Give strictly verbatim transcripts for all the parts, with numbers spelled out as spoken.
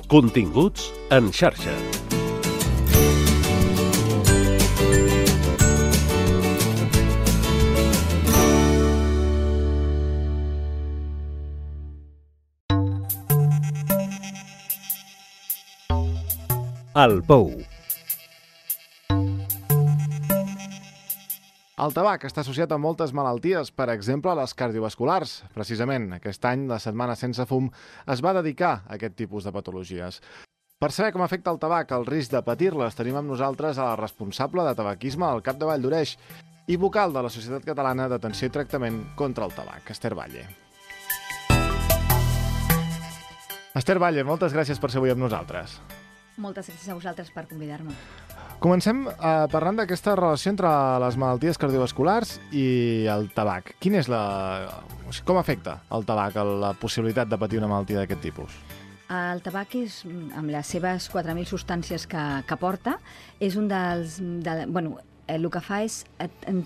Continguts en xarxa. El Pou. El tabac està associat a moltes malalties, per exemple, a les cardiovasculars. Precisament, aquest any, la Setmana Sense Fum es va dedicar a aquest tipus de patologies. Per saber com afecta el tabac, el risc de patir-les, tenim amb nosaltres a la responsable de tabaquisme al Cap de Vall d'Oreix i vocal de la Societat Catalana d'Atenció i Tractament contra el Tabac, Esther Valle. Esther Valle, moltes gràcies per ser avui amb nosaltres. Moltes gràcies a vosaltres per convidar-me. Comencem eh, parlant d'aquesta relació entre les malalties cardiovasculars i el tabac. Quin és la... O sigui, com afecta el tabac a la possibilitat de patir una malaltia d'aquest tipus? El tabac, és, amb les seves quatre mil substàncies que, que porta, és un dels... De, bueno, el que fa és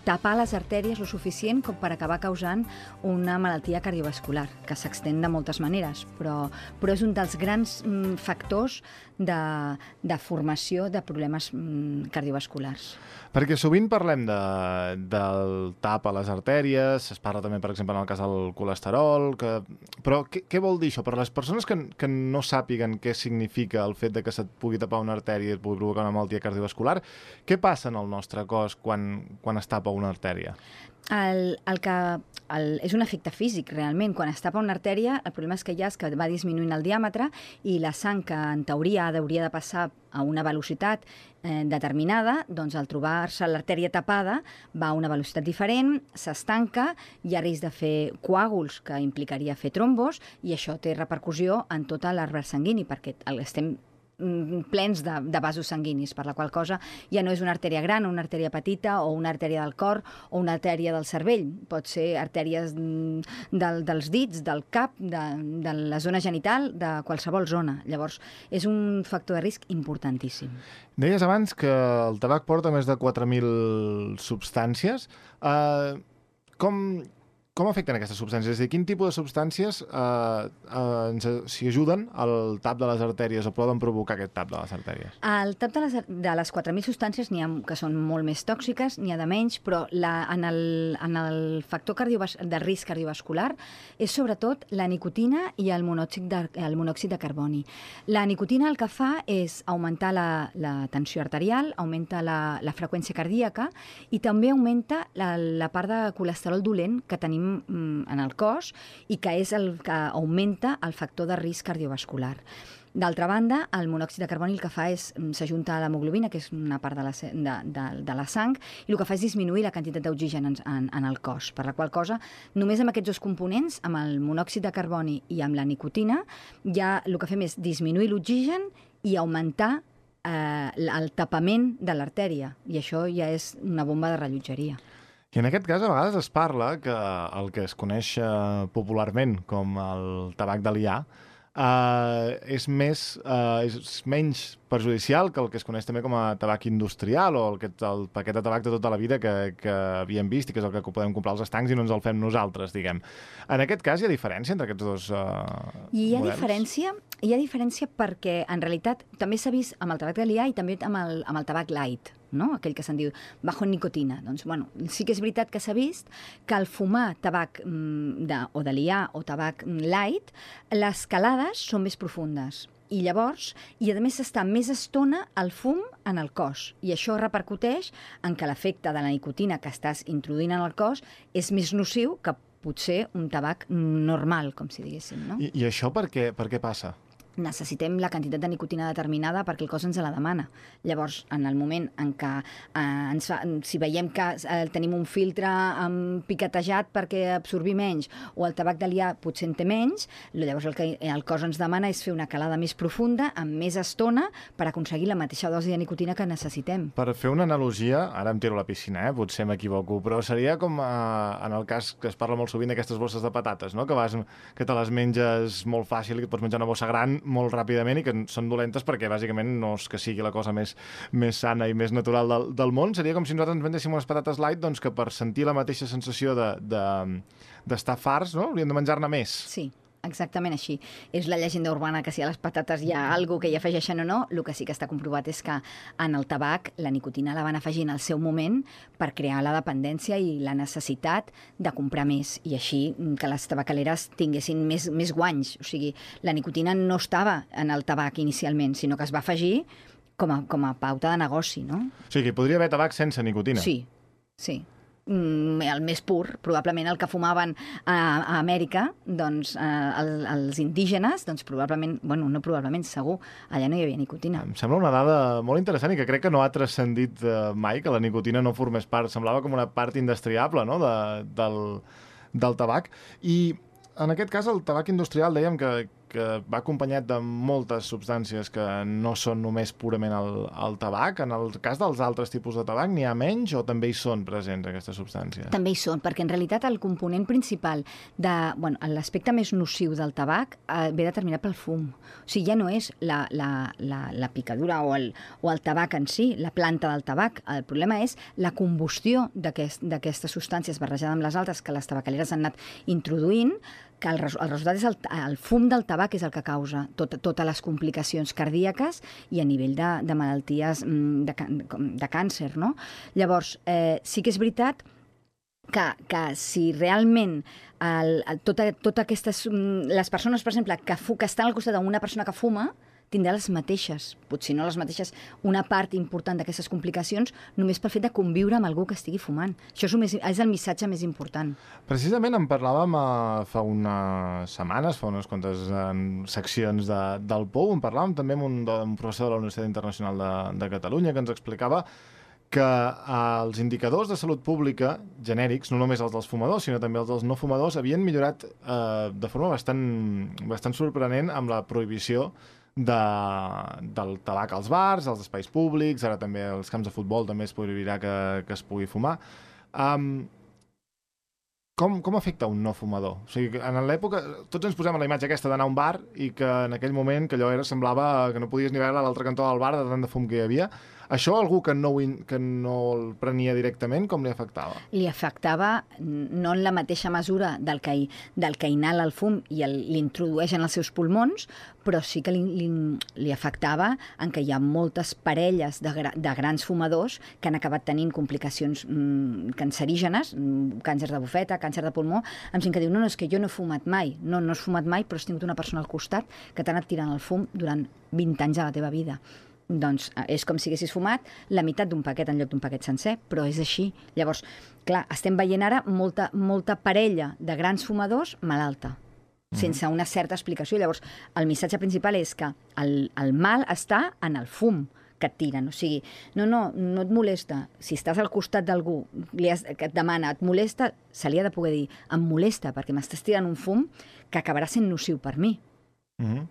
tapar les artèries lo suficient com per acabar causant una malaltia cardiovascular, que s'extén de moltes maneres, però, però és un dels grans mm, factors de, de formació de problemes mm, cardiovasculars. Perquè sovint parlem de, del tap a les artèries, es parla també, per exemple, en el cas del colesterol, que... però què, què vol dir això? Per a les persones que, que no sàpiguen què significa el fet de que se't pugui tapar una artèria i et pugui provocar una malaltia cardiovascular, què passa en el nostre cos quan, quan es tapa una artèria? El, el que, el, és un efecte físic, realment. Quan es tapa una artèria, el problema és que hi ha és que va disminuint el diàmetre i la sang, que en teoria hauria de passar a una velocitat eh, determinada, doncs al trobar-se l'artèria tapada va a una velocitat diferent, s'estanca, hi ha risc de fer coàguls, que implicaria fer trombos, i això té repercussió en tot l'arbre sanguini, perquè estem plens de, de vasos sanguinis, per la qual cosa ja no és una artèria gran, una artèria petita o una artèria del cor o una artèria del cervell. Pot ser artèries del, dels dits, del cap, de, de la zona genital, de qualsevol zona. Llavors, és un factor de risc importantíssim. Deies abans que el tabac porta més de quatre mil substàncies. Uh, com... Com afecten aquestes substàncies? És a dir, quin tipus de substàncies eh, eh, ens s'hi ajuden al tap de les artèries o poden provocar aquest tap de les artèries? El tap de les, de les quatre mil substàncies n'hi ha que són molt més tòxiques, n'hi ha de menys, però la, en, el, en el factor cardiovas, de risc cardiovascular és sobretot la nicotina i el monòxid de, el monòxid de carboni. La nicotina el que fa és augmentar la, la tensió arterial, augmenta la, la freqüència cardíaca i també augmenta la, la part de colesterol dolent que tenim en el cos i que és el que augmenta el factor de risc cardiovascular. D'altra banda, el monòxid de carboni el que fa és s'ajunta a l'hemoglobina, que és una part de la, de, de, de la sang, i el que fa és disminuir la quantitat d'oxigen en, en, en el cos. Per la qual cosa, només amb aquests dos components, amb el monòxid de carboni i amb la nicotina, ja el que fem és disminuir l'oxigen i augmentar eh, el tapament de l'artèria. I això ja és una bomba de rellotgeria. I en aquest cas, a vegades es parla que el que es coneix eh, popularment com el tabac d'Alià eh, és, més, eh, és menys perjudicial que el que es coneix també com a tabac industrial o el, el paquet de tabac de tota la vida que, que havíem vist i que és el que podem comprar als estancs i no ens el fem nosaltres, diguem. En aquest cas hi ha diferència entre aquests dos uh, I hi ha models? Diferència, hi ha diferència perquè en realitat també s'ha vist amb el tabac d'Alià i també amb el, amb el tabac light, no? Aquell que se'n diu bajo en nicotina. Doncs, bueno, sí que és veritat que s'ha vist que al fumar tabac mm, de, o d'Alià o tabac light, les calades són més profundes. I llavors, i a més està més estona el fum en el cos. I això repercuteix en que l'efecte de la nicotina que estàs introduint en el cos és més nociu que potser un tabac normal, com si diguéssim, no? I, i això per què, per què passa? Necessitem la quantitat de nicotina determinada perquè el cos ens la demana. Llavors, en el moment en què eh, ens fa, si veiem que eh, tenim un filtre eh, piquetejat perquè absorbir menys o el tabac d'Alià potser en té menys, llavors el que el cos ens demana és fer una calada més profunda, amb més estona, per aconseguir la mateixa dosi de nicotina que necessitem. Per fer una analogia, ara em tiro a la piscina, eh? Potser m'equivoco, però seria com eh, en el cas que es parla molt sovint d'aquestes bosses de patates, no? que, vas, que te les menges molt fàcil i que et pots menjar una bossa gran molt ràpidament i que són dolentes perquè bàsicament no és que sigui la cosa més, més sana i més natural del, del món. Seria com si nosaltres ens vendéssim unes patates light doncs, que per sentir la mateixa sensació de, de, d'estar farts, no? Hauríem de menjar-ne més. Sí. exactament així. És la llegenda urbana que si a les patates hi ha alguna que hi afegeixen o no, el que sí que està comprovat és que en el tabac la nicotina la van afegir en el seu moment per crear la dependència i la necessitat de comprar més i així que les tabacaleres tinguessin més, més guanys. O sigui, la nicotina no estava en el tabac inicialment, sinó que es va afegir com a, com a pauta de negoci, no? O sigui, que podria haver tabac sense nicotina. Sí, sí. Mm, el més pur, probablement el que fumaven a, a Amèrica, doncs, eh, el, els indígenes, doncs probablement, bueno, no probablement, segur, allà no hi havia nicotina. Em sembla una dada molt interessant i que crec que no ha transcendit eh, mai, que la nicotina no formés part. Semblava com una part indestriable, no?, de, del, del tabac. I en aquest cas el tabac industrial dèiem que, que va acompanyat de moltes substàncies que no són només purament el, el tabac. En el cas dels altres tipus de tabac n'hi ha menys o també hi són presents aquestes substàncies? També hi són, perquè en realitat el component principal de, bueno, l'aspecte més nociu del tabac eh, ve determinat pel fum. O sigui, ja no és la, la, la, la picadura o el, o el tabac en si, la planta del tabac. El problema és la combustió d'aquest, d'aquestes substàncies barrejades amb les altres que les tabacaleres han anat introduint, que el, el resultat és el, el fum del tabac és el que causa tot, totes les complicacions cardíaques i a nivell de, de malalties de, de càncer, no? Llavors, eh, sí que és veritat que, que si realment el, el, tota, tota aquestes, les persones, per exemple, que, fu, que estan al costat d'una persona que fuma, tindrà les mateixes, potser no les mateixes, una part important d'aquestes complicacions només pel fet de conviure amb algú que estigui fumant. Això és el, més, és el missatge més important. Precisament en parlàvem eh, fa unes setmanes, fa unes quantes eh, seccions de, del P O U, en parlàvem també amb un, un professor de la Universitat Internacional de, de Catalunya que ens explicava que eh, els indicadors de salut pública genèrics, no només els dels fumadors, sinó també els dels no fumadors, havien millorat eh, de forma bastant, bastant sorprenent amb la prohibició de, del tabac als bars, als espais públics, ara també als camps de futbol també es prohibirà que, que es pugui fumar. Um, com, com afecta un no fumador? O sigui, en l'època, tots ens posem a la imatge aquesta d'anar a un bar i que en aquell moment que allò era, semblava que no podies ni veure a l'altre cantó del bar de tant de fum que hi havia. Això algú que no, que no el prenia directament, com li afectava? Li afectava no en la mateixa mesura del que, del que inhala el fum i l'introdueix en els seus pulmons, però sí que li, li, li afectava en què hi ha moltes parelles de, gra, de grans fumadors que han acabat tenint complicacions mm, cancerígenes, mm, càncer de bufeta, càncer de pulmó, amb gent que diu, no, no, és que jo no he fumat mai. No, no has fumat mai, però has tingut una persona al costat que t'ha anat tirant el fum durant vint anys de la teva vida. Doncs és com si haguessis fumat la meitat d'un paquet en lloc d'un paquet sencer, però és així. Llavors, clar, estem veient ara molta, molta parella de grans fumadors malalta, sense una certa explicació. Llavors, el missatge principal és que el, el mal està en el fum que et tiren. O sigui, no, no, no et molesta. Si estàs al costat d'algú que et demana, et molesta, se li ha de poder dir, em molesta perquè m'estàs tirant un fum que acabarà sent nociu per mi. Mhm.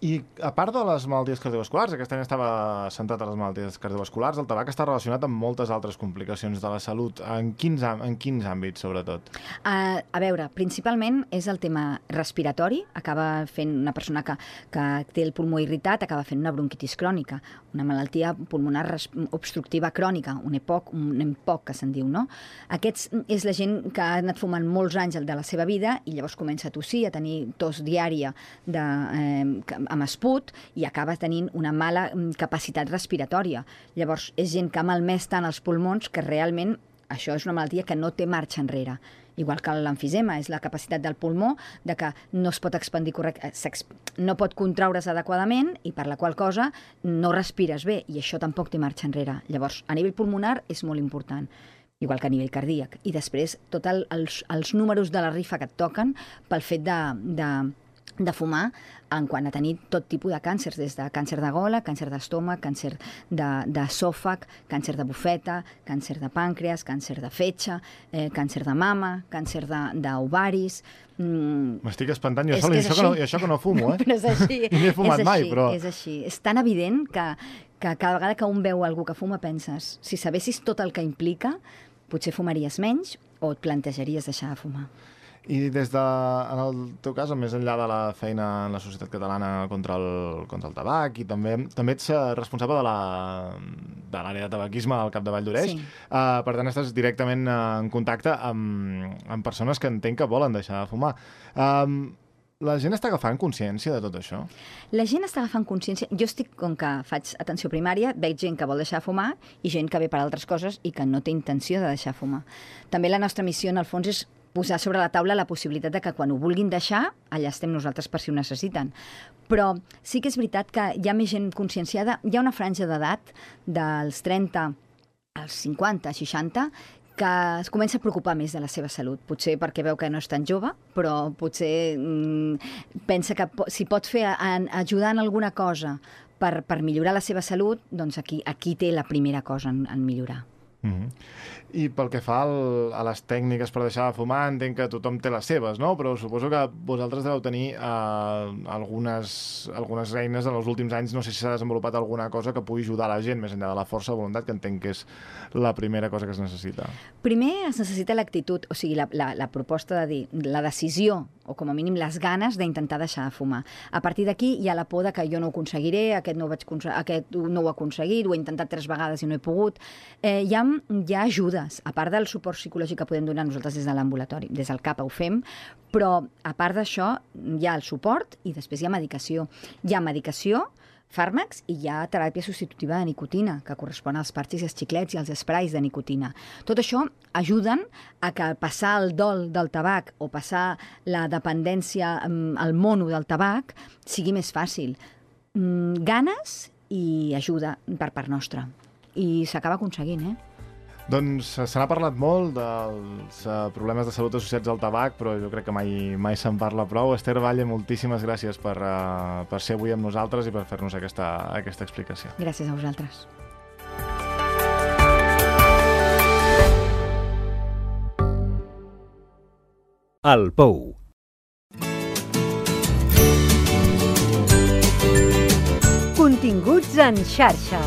I a part de les malalties cardiovasculars, aquest any estava centrat a les malalties cardiovasculars, el tabac està relacionat amb moltes altres complicacions de la salut. En quins, en quins àmbits, sobretot? Uh, a veure, principalment és el tema respiratori. Acaba fent una persona que, que té el pulmó irritat, acaba fent una bronquitis crònica, una malaltia pulmonar obstructiva crònica, un E P O C, un E M P O C, que se'n diu, no? Aquests és la gent que ha anat fumant molts anys de la seva vida i llavors comença a tossir, a tenir tos diària de... Eh, amb esput i acaba tenint una mala capacitat respiratòria. Llavors, és gent que ha malmès tant els pulmons que realment això és una malaltia que no té marxa enrere. Igual que l'emfisema, és la capacitat del pulmó de que no es pot expandir correctament, no pot contraure's adequadament i per la qual cosa no respires bé i això tampoc té marxa enrere. Llavors, a nivell pulmonar és molt important, igual que a nivell cardíac. I després, tots el, els, els números de la rifa que et toquen pel fet de... de de fumar en quant a tenir tot tipus de càncers, des de càncer de gola, càncer d'estómac, càncer d'esòfag, càncer de bufeta, càncer de pàncreas, càncer de fetge, eh, càncer de mama, càncer d'ovaris... Mm. M'estic espantant jo sol, i això, que no, i això que no fumo, eh? Però és així. Ni he fumat és així, mai, però... És així. És tan evident que, que cada vegada que un veu algú que fuma penses, si sabessis tot el que implica, potser fumaries menys o et plantejaries deixar de fumar. I des de, en el teu cas, més enllà de la feina en la Societat Catalana contra el, contra el tabac, i també també ets responsable de l'àrea de tabaquisme al Capdavall d'Oreix, sí. uh, per tant estàs directament uh, en contacte amb, amb persones que entenc que volen deixar de fumar. Um, La gent està agafant consciència de tot això? La gent està agafant consciència. Jo estic, com que faig atenció primària, veig gent que vol deixar de fumar i gent que ve per altres coses i que no té intenció de deixar de fumar. També la nostra missió, en el fons, és posar sobre la taula la possibilitat de que quan ho vulguin deixar, allà estem nosaltres per si ho necessiten. Però sí que és veritat que hi ha més gent conscienciada. Hi ha una franja d'edat dels trenta als cinquanta, seixanta, que es comença a preocupar més de la seva salut. Potser perquè veu que no és tan jove, però potser mmm, pensa que po si pot fer en, ajudar en alguna cosa per, per millorar la seva salut, doncs aquí, aquí té la primera cosa en, en millorar. Mm-hmm. I pel que fa al, a les tècniques per deixar de fumar, entenc que tothom té les seves, no? Però suposo que vosaltres deveu tenir eh, algunes, algunes eines en els últims anys. No sé si s'ha desenvolupat alguna cosa que pugui ajudar la gent, més enllà de la força de voluntat, que entenc que és la primera cosa que es necessita. Primer es necessita l'actitud, o sigui, la, la, la proposta de dir, la decisió, o com a mínim les ganes d'intentar deixar de fumar. A partir d'aquí hi ha la por de que jo no ho aconseguiré, aquest no ho, vaig aquest no ho he aconseguit, ho he intentat tres vegades i no he pogut. Eh, hi, ha, hi ha ajudes, a part del suport psicològic que podem donar nosaltres des de l'ambulatori, des del C A P ho fem, però a part d'això hi ha el suport i després hi ha medicació. Hi ha medicació, fàrmacs, i hi ha teràpia substitutiva de nicotina, que correspon als parxis, als xiclets i als esprais de nicotina. Tot això ajuden a que passar el dol del tabac o passar la dependència al mono del tabac sigui més fàcil. Mm, ganes i ajuda per part nostra. I s'acaba aconseguint, eh? Doncs se n'ha parlat molt dels uh, problemes de salut associats al tabac, però jo crec que mai, mai se'n parla prou. Esther Valle, moltíssimes gràcies per, uh, per ser avui amb nosaltres i per fer-nos aquesta, aquesta explicació. Gràcies a vosaltres. El Pou. Continguts en xarxa.